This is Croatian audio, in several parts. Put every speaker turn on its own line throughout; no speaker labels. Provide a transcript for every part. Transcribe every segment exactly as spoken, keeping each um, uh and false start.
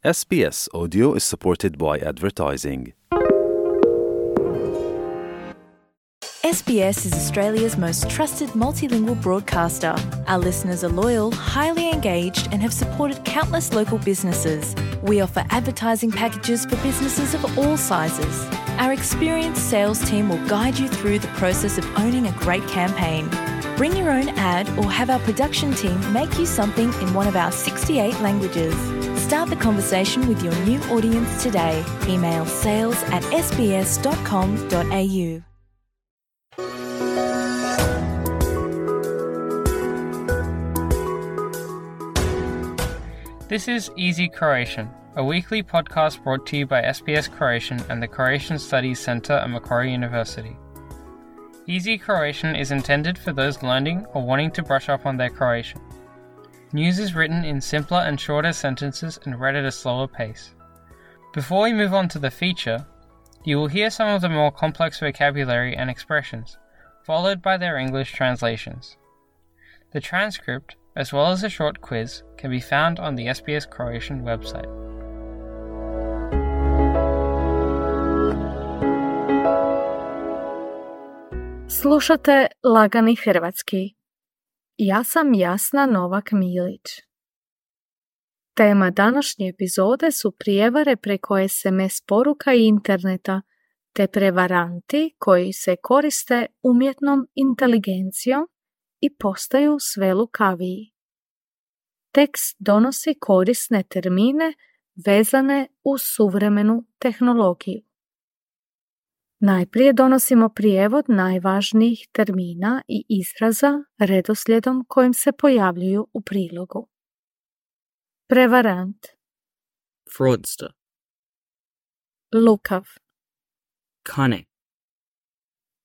S B S Audio is supported by advertising.
S B S is Australia's most trusted multilingual broadcaster. Our listeners are loyal, highly engaged, and have supported countless local businesses. We offer advertising packages for businesses of all sizes. Our experienced sales team will guide you through the process of owning a great campaign. Bring your own ad or have our production team make you something in one of our sixty-eight languages. Start the conversation with your new audience today. Email sales at s b s dot com dot a u.
This is Easy Croatian, a weekly podcast brought to you by S B S Croatian and the Croatian Studies Centre at Macquarie University. Easy Croatian is intended for those learning or wanting to brush up on their Croatian. News is written in simpler and shorter sentences and read at a slower pace. Before we move on to the feature, you will hear some of the more complex vocabulary and expressions, followed by their English translations. The transcript, as well as a short quiz, can be found on the S B S Croatian website.
Slušate Lagani hrvatski. Ja sam Jasna Novak Milić. Tema današnje epizode su prijevare preko es em es poruka i interneta, te prevaranti koji se koriste umjetnom inteligencijom i postaju sve lukaviji. Tekst donosi korisne termine vezane uz suvremenu tehnologiju. Najprije donosimo prijevod najvažnijih termina i izraza redoslijedom kojim se pojavljuju u prilogu. Prevarant,
fraudster,
lukav,
cunning,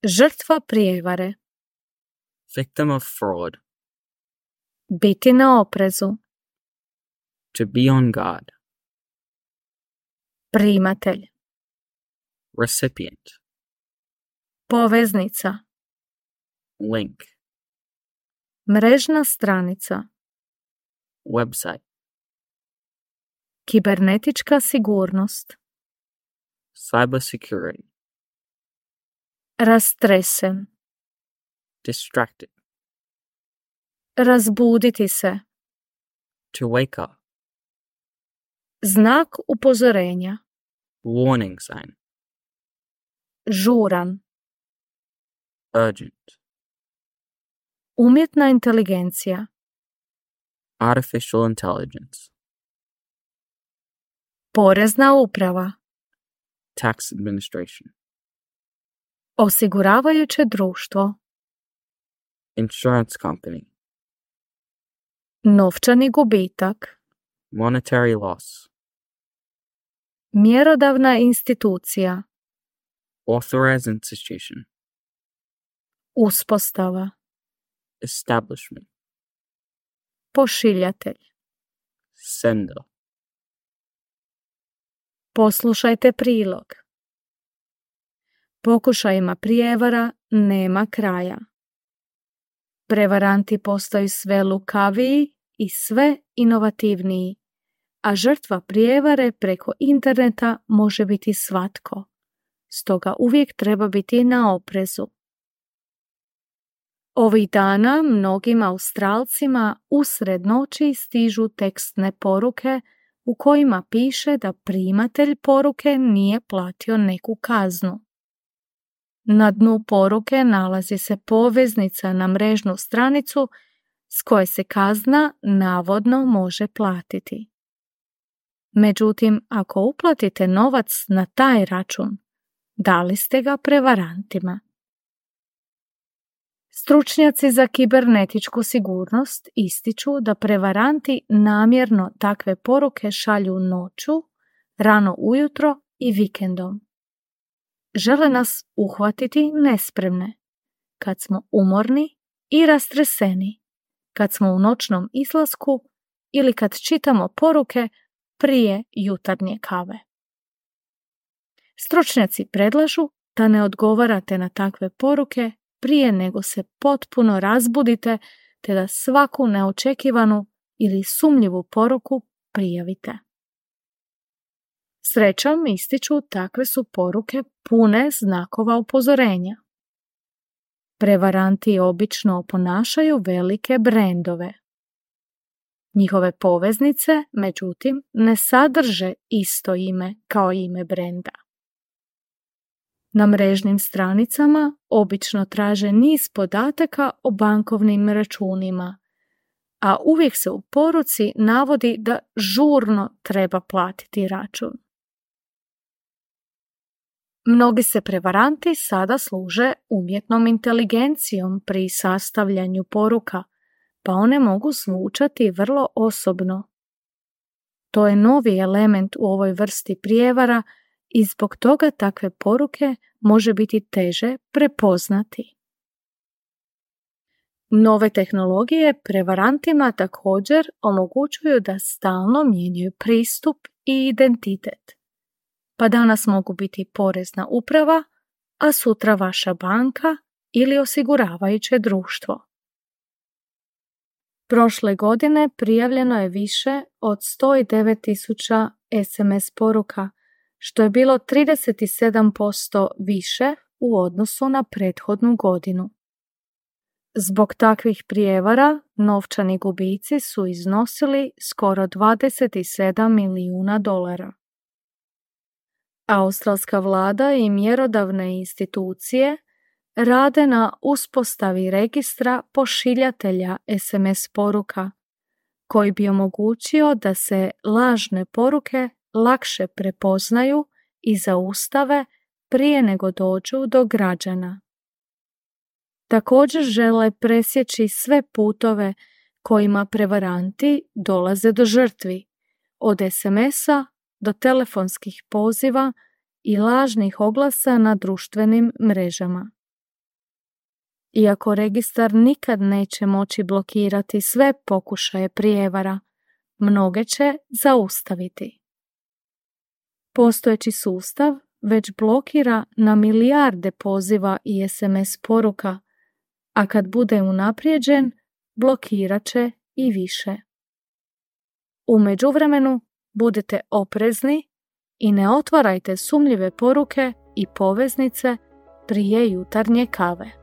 žrtva prijevare,
victim of fraud,
biti na oprezu,
to be on guard,
primatelj,
recipient,
poveznica,
link,
mrežna stranica,
website,
kibernetička sigurnost,
cybersecurity,
rastresen,
distracted,
razbuditi se,
to wake up,
znak upozorenja,
warning sign,
žuran,
urgent,
umjetna inteligencija,
artificial intelligence,
porezna uprava,
tax administration,
osiguravajuće društvo,
insurance company,
novčani gubitak,
monetary loss,
mjerodavna institucija,
authorized institution,
uspostava,
establishment,
pošiljatelj.
sender,
Poslušajte prilog. Pokušajima prijevara nema kraja. Prevaranti postaju sve lukaviji i sve inovativniji, a žrtva prijevare preko interneta može biti svatko. Stoga uvijek treba biti na oprezu. Ovih dana mnogim Australcima usred noći stižu tekstne poruke u kojima piše da primatelj poruke nije platio neku kaznu. Na dnu poruke nalazi se poveznica na mrežnu stranicu s koje se kazna navodno može platiti. Međutim, ako uplatite novac na taj račun, dali ste ga prevarantima. Stručnjaci za kibernetičku sigurnost ističu da prevaranti namjerno takve poruke šalju noću, rano ujutro i vikendom. Žele nas uhvatiti nespremne, kad smo umorni i rastreseni, kad smo u noćnom izlasku ili kad čitamo poruke prije jutarnje kave. Stručnjaci predlažu da ne odgovarate na takve poruke prije nego se potpuno razbudite te da svaku neočekivanu ili sumnjivu poruku prijavite. Srećom ističu takve su poruke pune znakova upozorenja. Prevaranti obično oponašaju velike brendove. Njihove poveznice, međutim, ne sadrže isto ime kao ime brenda. Na mrežnim stranicama obično traže niz podataka o bankovnim računima, a uvijek se u poruci navodi da žurno treba platiti račun. Mnogi se prevaranti sada služe umjetnom inteligencijom pri sastavljanju poruka, pa one mogu zvučati vrlo osobno. To je novi element u ovoj vrsti prijevara i zbog toga takve poruke može biti teže prepoznati. Nove tehnologije prevarantima također omogućuju da stalno mijenjaju pristup i identitet. Pa danas mogu biti porezna uprava, a sutra vaša banka ili osiguravajuće društvo. Prošle godine prijavljeno je više od sto devet tisuća es em es poruka, što je bilo trideset sedam posto više u odnosu na prethodnu godinu. Zbog takvih prijevara novčani gubici su iznosili skoro dvadeset sedam milijuna dolara. Australska vlada i mjerodavne institucije rade na uspostavi registra pošiljatelja es em es poruka, koji bi omogućio da se lažne poruke lakše prepoznaju i zaustave prije nego dođu do građana. Također žele presjeći sve putove kojima prevaranti dolaze do žrtvi, od es emesa do telefonskih poziva i lažnih oglasa na društvenim mrežama. Iako registar nikad neće moći blokirati sve pokušaje prijevara, mnoge će zaustaviti. Postojeći sustav već blokira na milijarde poziva i es em es poruka, a kad bude unaprijeđen, blokirat će i više. U međuvremenu budite oprezni i ne otvarajte sumnjive poruke i poveznice prije jutarnje kave.